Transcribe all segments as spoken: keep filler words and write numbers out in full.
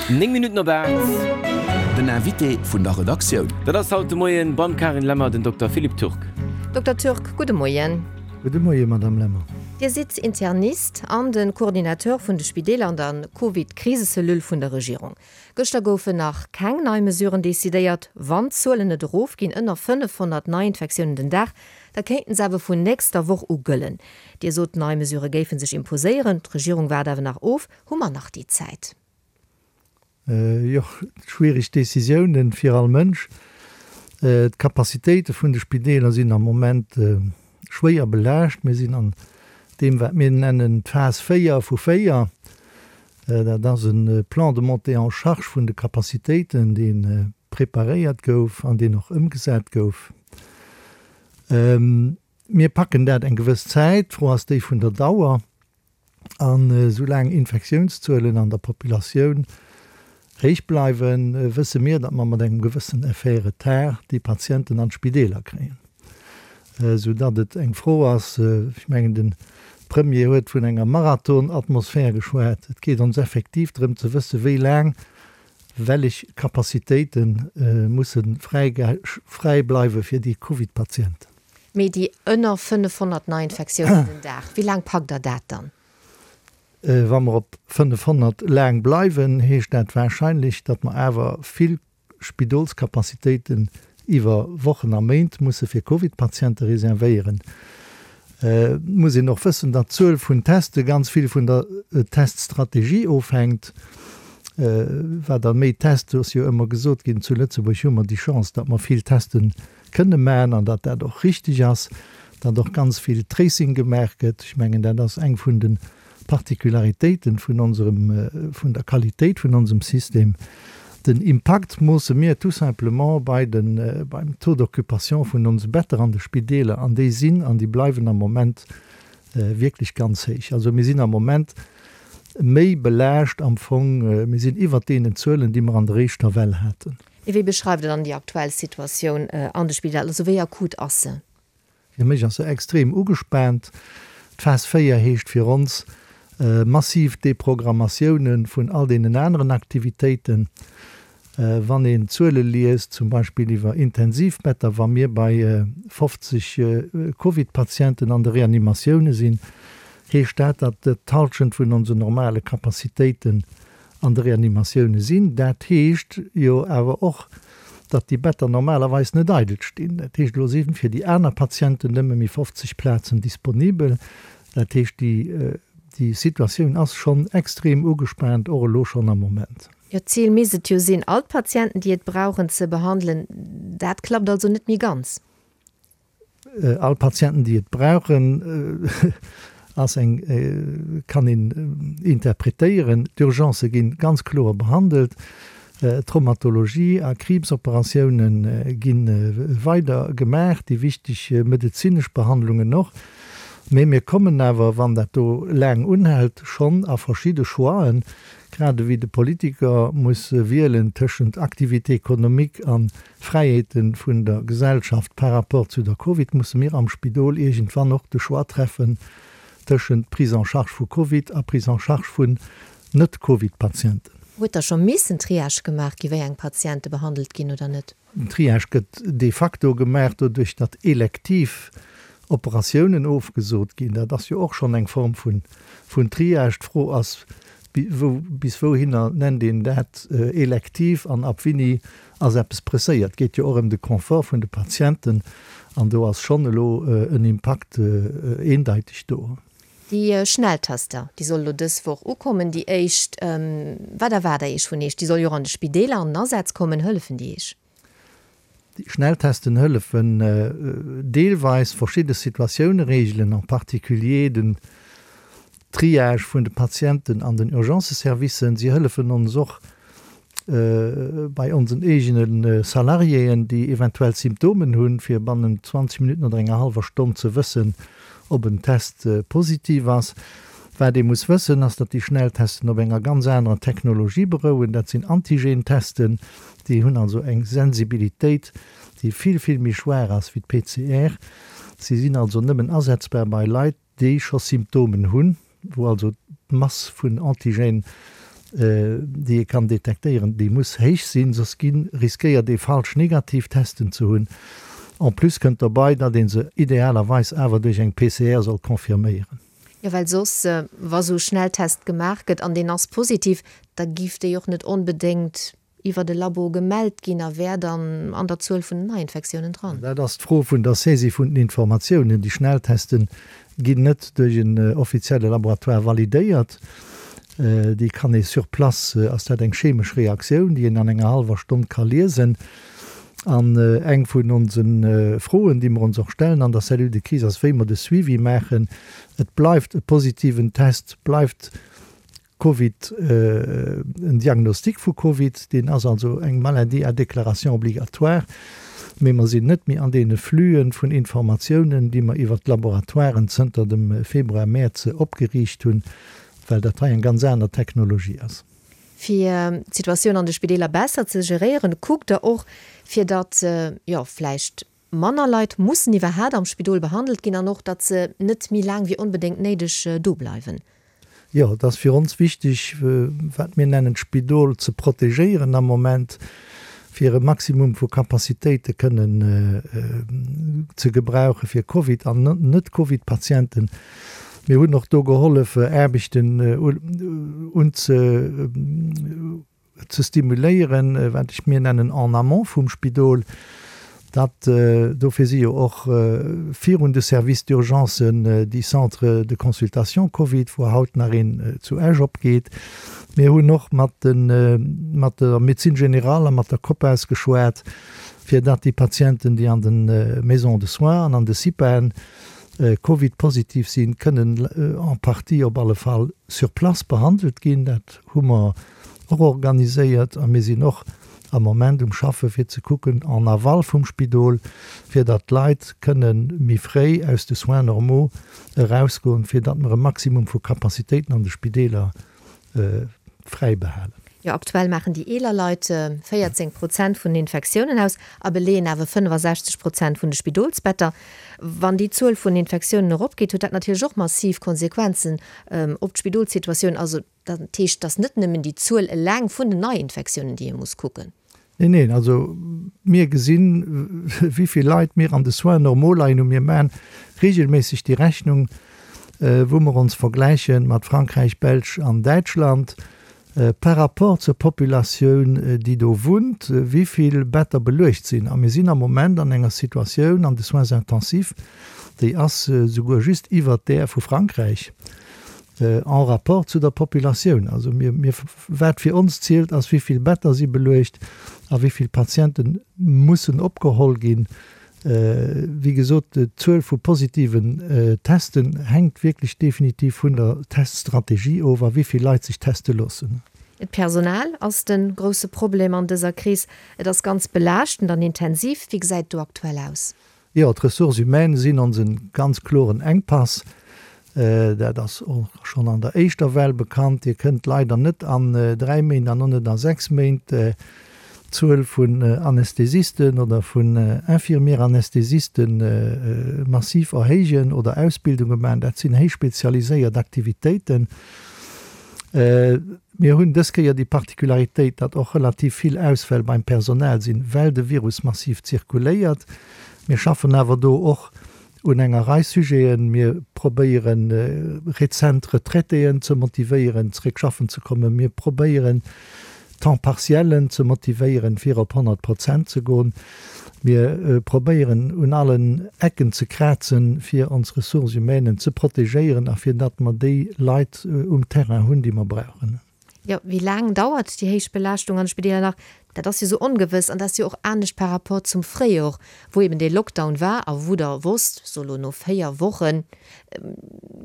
Néng Minutten op aacht. Den Invité vun der Redaktioun. Dat ass haut de Moien beim Carine Lemmer den Dokter Philippe Turk. Dokter Turk, gudde Moien. Gudde Moien, Madame Lemmer. Dir sidd Internist an de Coordinateur vun de Spideeler an der Covid-Krisecellule vun der Regierung. Gëschter goufen nach keng nei Mesuren decidéiert. Wann d'Zuelen net erofginn, ënner fënnefhonnert Neiinfektiounen den Dag, da kéinten se awer vun nächster Woch u gëllen. Dir sot, nei Mesurë géife sech imposéieren. D'Regierung waart awer nach of. Hu mer nach déi Zäit? Jo, schwiereg Decisiounen fir all Mënsch. D'Capacitéite vun de Spideeler sinn am Moment schwéier belaascht. Mir sinn an deem, wat mir nennen d'Phas véier vu véier. Dat ass e Plan de montée en charge vun de Capacitéiten, dee preparéiert gouf an deen och ëmgesat gouf. Mir packen dat eng gewëss Zäit. D'Fro ass déi vun der Dauer. An esoulaang Infektiounszuelen an der Populatioun héich bleiwen, wësse mir, datt mer mat engem gewëssen Effet retard déi Patienten an d'Spideeler kréien. Soudatt et eng Fro ass, ech mengen de Premier huet vun enger Marathon-Atmosphär geschwat, et geet ons effektiv drëm ze wësse wéi laang wellech Capacitéite musse fräi bleiwe fir déi Covid-Patienten. Mee déi ënner fënnefhonnert Neiinfektiounen den Dag, wéi laang packt Der dat dann? Wa mer op fënnefhonnert laang bleiwen, heescht dat warscheinlech, datt mer awer vill Spidolscapacitéiten iwwer Wochen a Méint musse fir Covid-Patiente reservéieren. Et muss een och wëssen, datt d'Zuel vun Teste ganz vill vun der Teststrategie ofhänkt. Wat der méi Test, do ass jo ëmmer gesot ginn, zu Lëtzebuerg hu mer déi Chance, datt mer vill Teste kënne maachen an datt dat och richteg ass, datt och ganz vill Tracing gemaach gëtt. Ech mengen, dat ass eng vun de Particularitéiten vun onserem, vun der Qualitéit vun onsem System. Den Impakt moosse mir tout simplement bei den, beim Taux d'occupation vun onse Better an de Spideeler, an déi sinn an déi bleiwen am Moment wierklech ganz héich. Also mir sinn am Moment méi belaascht am Fong, mir sinn iwwert deenen Zuelen, déi mer an der éischter Well haten. Wéi beschreift Der dann déi aktuell Situatioun an de Spideeler? Also wéi akut ass se? Fir mech ass se extrem ugespaant. D'Phas véier heescht fir ons massiv Deprogrammatioune vun all deenen aneren Aktivitéiten. Wann een Zuele liest, zum Beispill iwwer Intensivbetter, wa mir bei fofzeg Covid-Patienten an de Reanimatioune sinn, heescht dat, datt d'Hallschent vun onsen normale Capacitéiten an de Reanimatioune sinn. Dat heescht jo awer och, datt déi Better normalerweis net eidel stinn. Dat heescht, elo si fir déi aner Patienten nëmme méi fofzeg Plazen disponibel. Dat heescht, déi, déi Situatioun ass schonn extrem ugespaant, och elo schonn am Moment. Jo, d'Zil misst et jo sinn, all d'Patienten, déi et brauchen, ze behandelen. Dat klappt also net méi ganz. All Patienten, déi et brauchen, ass eng, kann een interpretéieren. D'Urgencë gi ganz kloer behandelt. Traumatologie a Kriibsoperatioune gi weider gemaach, déi wichteg medezinesch Behandlungen och. Mee mir kommen awer, wann dat do laang unhält, schonn a verschidde Choixen, grad ewéi de Politiker muss wielen tëschent Activité économique a Fräiheete vun der Gesellschaft par rapport zu der Covid, musse mir am Spidol iergendwann och de Choix treffen tëschent Prise en charge vu Covid a Prise en charge vun Net-Covid-Patienten. Huet da scho missen Triage gemaach gi wéi eng Patiente behandelt ginn oder net? Den Triage gëtt de facto gemaach doduerch, datt elektiv Operatiounen ofgesot ginn. Dat ass jo och schonn eng Form vun Triage. D'Fro ass, bis wouhinner nennt een dat elektiv an ab wéini ass eppes presséiert. Et geet jo och ëm de Confort vun de Patienten an do ass schonn elo en Impakt eendeiteg do. Déi Schnelltester, déi solle elo dës Woch ukommen, déi éischt. Wat erwaart Der Iech vun Iech? Déi soll jo och an de Spideeler an den Asaz kommen. Hëllefen déi Iech? Déi Schnelltesten hëllefen deelweis verschidde Situatioune reegelen, en particulier den Triage vun de Patienten an den Urgenceservicen. Si hëllefen ons och bei onsen eegene Salariéen, déi eventuell Symptomen hunn, fir bannent zwanzeg Minutten oder enger hallwer Stonn ze wëssen, ob en Test positiv ass. Wat ee muss wëssen, ass, datt déi Schnelltesten op enger ganz anerer Technologie berouen. Dat sinn Antigen-Testen, déi hunn also eng Sensibilitéit, déi vill, vill méi schwaach ass wéi d'P C R. Si sinn also nëmmen asetzbar bei Leit, déi scho Symptomen hunn, wou also d'Mass vun Antigène déi ee kann detektéieren, déi muss héich sinn, soss gi riskéiert ee falsch negativ Testen ze hunn. En plus kënnt derbei, datt ee se idealerweis awer duerch eng P C R soll confirméieren. Jo, well soss, wa sou Schnelltest gemaach gëtt an deen ass positiv, da giff déi och net onbedéngt iwwer de Labo gemellt ginn a wär dann an der Zuel vun den Neiinfektiounen dran. Dat ass d'Fro vun der Saisie vun den Informatiounen. Déi Schnelltesten ginn net duerch en offizielle Laboratoire validéiert. Déi kann ee sur place, ass dat eng chemesch Reaktioun, déi een an enger hallwer Stonn ka liesen. An eng vun onse Froen, déi mer ons och stellen an der Cellule de crise, ass, wéi mer de Suivi maachen. Et bleift e positiven Test, bleift Covid, en Diagnostic vu Covid, deen ass also eng Maladie à déclaration obligatoire, mee mer sinn net méi an deene Flüen vun Informatiounen, déi mer iwwert d'Laboratoiren zënter dem Februar, Mäerz opgeriicht hunn, well dat hei eng ganz aner Technologie ass. Fir d'Situatioun an de Spideeler besser ze geréieren, kuckt Der och, fir datt, jo, vläicht manner Leit mussen iwwerhaat am Spidol behandelt ginn an och, datt se net méi laang wéi onbedéngt néideg do bleiwen. Jo, et ass fir ons wichteg, wat mir nennen d'Spidol ze protegéieren am Moment, fir e Maximum vu Capacitéite kënnen ze gebrauche fir Covid an Net-Covid-Patienten. Mir hunn och do gehollef, Aarbechten unze ze stimuléieren, wat ech mir nennen en amont vum Spidol. Dat, dofir si jo och virun de Services d'urgencen déi Centres de consultation Covid, wou haut nach een zu Esch opgeet. Mir hunn och mat den, mat der Médecine générale a mat der COPAS geschwat, fir datt déi Patienten, déi an de Maisons de soins an an de CIPAen Covid-positiv sinn, kënnen en partie op alle Fall sur place behandelt ginn. Dat hu mer och organiséiert a mir sinn och am Moment um Schaffe fir ze kucken en aval vum Spidol, fir datt d'Leit kënne méi fréi aus de Soins normaux erausgoen, fir datt mer e Maximum vu Capacitéiten an de Spideeler fräi behalen. Jo, aktuell maachen déi eeler Leit véierzéng Prozent vun den Infektiounen aus a beleeën awer fënnefasechzeg Prozent vun de Spidolsbetter. Wann déi Zuel vun Infektiounen eropgeet, huet dat natierlech och massiv Konsequenzen op d'Spidolssituatioun. Also dat heescht, et ass net nëmmen déi Zuel eleng vun den Neiinfektiounen, déi ee muss kucken. Neen, neen, also mir gesinn, wéi vill Leit mir an de Soins normaux leien hunn. Mir maachen regelméisseg déi Rechnung, wou mer ons vergläiche mat Frankräich, Belsch an Däitschland. Par rapport zur Populatioun, déi do wunnt, wéi vill Better beluecht sinn. A mir sinn am Moment an enger Situatioun an de Soins intensifs, déi ass souguer just iwwert där vu Frankräich en rapport zu der Populatioun. Also mir, mir, wat fir ons zielt, ass, wéi vill Better si beluecht a wéi vill Patiente mussen opgeholl ginn. Wéi gesot, d'Zuel vu positiven Testen hänkt wierklech definitiv vun der Teststrategie of a wéi vill Leit sech teste loossen. D'Personal ass de grousse Problem an dëser Kris. Et ass ganz belaaschtend an intensiv. Wéi gesäit et do aktuell aus? Jo, d'Ressources humaines sinn onse ganz kloren Enkpass. Dat ass och schonn an der éischter Well bekannt. Dir kënnt leider net an dräi Méint an och net a sechs Méint d'Zuel vun Anästhesisten oder vun Infirmier-Anästhesiste massiv erhéijen oder Ausbildunge maachen. Dat sinn héich spezialiséiert Aktivitéiten. Mir hunn dës Kéier déi Particularitéit, datt och relativ vill Ausfäll beim Personal sinn, well de Virus massiv zirkuléiert. Mir schaffen awer do och un enger Rei Sujeten. Mir probéieren, rezent Retraitéen ze motivéieren, zeréck schaffen ze kommen. Mir probéieren, Temps partiellen ze motivéieren, fir op honnert Prozent ze goen. Mir probéieren, un allen Ecken ze krazen, fir ons Ressources humaines ze protegéieren a fir datt mer déi Leit um Terrain hunn, déi mer brauchen. Jo, wéi laang dauert déi héich Belaaschtung an de Spideeler nach? Dat ass jo esou ongewëss an dat ass jo och anescht par rapport zum Fréijor, wou eben dee Lockdown war a wou Der wosst, so elo no véier Woche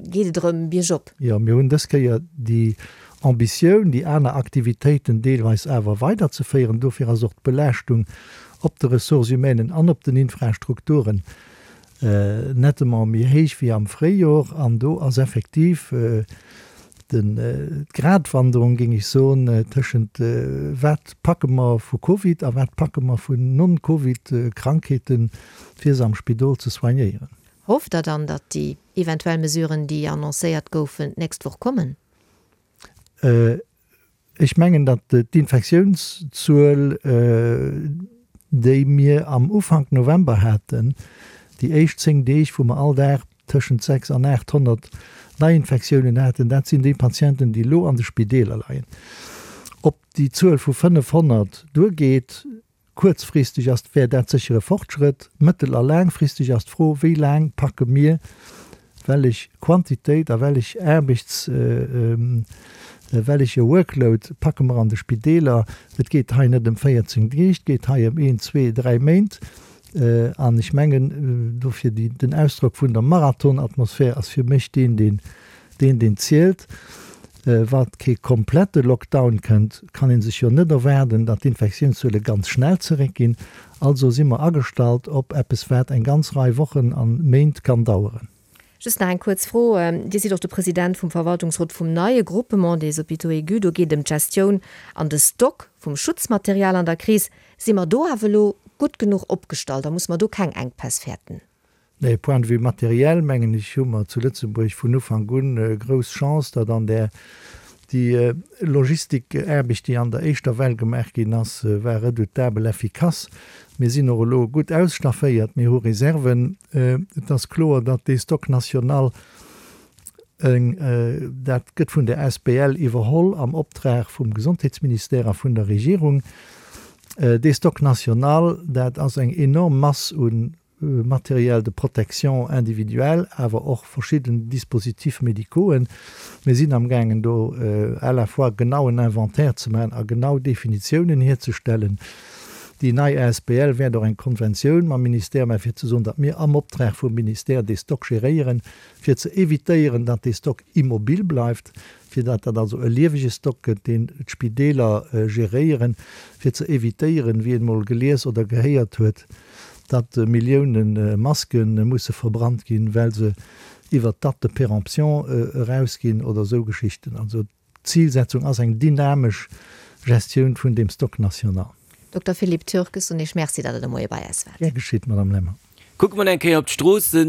geet et erëm biergop. Jo, mir hunn dës Kéier déi Ambitioun, déi aner Aktivitéiten deelweis awer weiderzeféieren. Dofir ass och d'Belaaschtung op de Ressources humaines an op den Infrastrukturen nettement méi héich wéi am Fréijor. An do ass effektiv d'Gratwanderung, géing ech soen, tëschent wat packe mer vu Covid a wat packe mer vun Non-Covid-Krankheeten, fir se am Spidol ze soignéieren. Hofft Der dann, datt déi eventuell Mesuren, déi annoncéiert goufen, d'nächst Woch kommen? Ech mengen, datt d'Infektiounszuel, déi mir am Ufank November haten, déi éischt zéng Deeg, wou mer all Dag tëschent sechs an aathonnert Neiinfektiounen haten, dat sinn déi Patienten, déi elo an de Spideeler leien. Ob déi Zuel vu fënnefhonnert duergeet, kuerzfristeg ass, wär dat sécher e Fortschrëtt. Mëttel a laangfristeg ass d'Fro, wéi laang packe mir wellech Quantitéit a wellech Aarbechts-, welleche Workload packe mer an de Spideeler. Et geet hei net ëm véierzéng Deeg, et geet hei ëm een, zwee, dräi Méint. An ech mengen, dofir déi, den Ausdrock vun der Marathon-Atmosphär ass fir mech deen, deen, deen, deen zielt. Wa kee komplette Lockdown kënnt, kann ee sech jo net erwaarden, datt d'Infektiounszuele ganz schnell zeréckginn. Also si mer agestallt op eppes, wat eng ganz Rei Wochen a Méint kann daueren. Just nach eng kuerz Fro, Dir sidd och de President vum Verwaltungsrot vum neie Groupement des Hôpitaux aigus. Do geet et ëm d'Gestioun an de Stock vum Schutzmaterial an der Kris. Si mer do awer elo gutt genuch opgestallt a muss mer do keng Enkpäss fäerten? Nee, point de vue matériel, mengen ech, hu mer zu Lëtzebuerg vun Ufank un grouss Chance, datt an där déi Logistikaarbecht, déi an der éischter Well gemaach ginn ass, war redoutabel effikass. Mir sinn och elo gutt ausstafféiert, mir hu Reserven. Et ass kloer, datt dee Stock national, dat gëtt vun der asbl iwwerholl am Optrag vum Gesondheetsministère a vun der Regierung. Dee Stock national, dat ass eng enorm Mass u Matériel de protection individuelle, awer och verschidden Dispositifs médicauxen. Mir sinn amgaangen do à la fois genauen Inventaire ze maachen a genau Definitiounen hierzestellen. Déi nei asbl wäert och eng Konventioun mam Ministère maachen, fir ze soen, datt mir am Optrag vum Ministère dee Stock geréieren, fir ze évitéieren, datt dee Stock immobil bleift, fir datt dat also e liewege Stock gëtt, deen d'Spideeler geréieren, fir ze évitéieren, wéi een emol gelies oder gehéiert huet, datt Millioune Maske musse verbrannt ginn, well se iwwert d'Date de péremption erausginn oder esou Geschichten. Also d'Zilsetzung ass eng dynamesch Gestioun vun deem Stock national. Dokter Philippe Turk, ech soen Iech Merci, datt Der de Moie bei eis waart. Gär geschitt, Madame Lemmer. Kucke mer eng Kéier op d'Stroossen.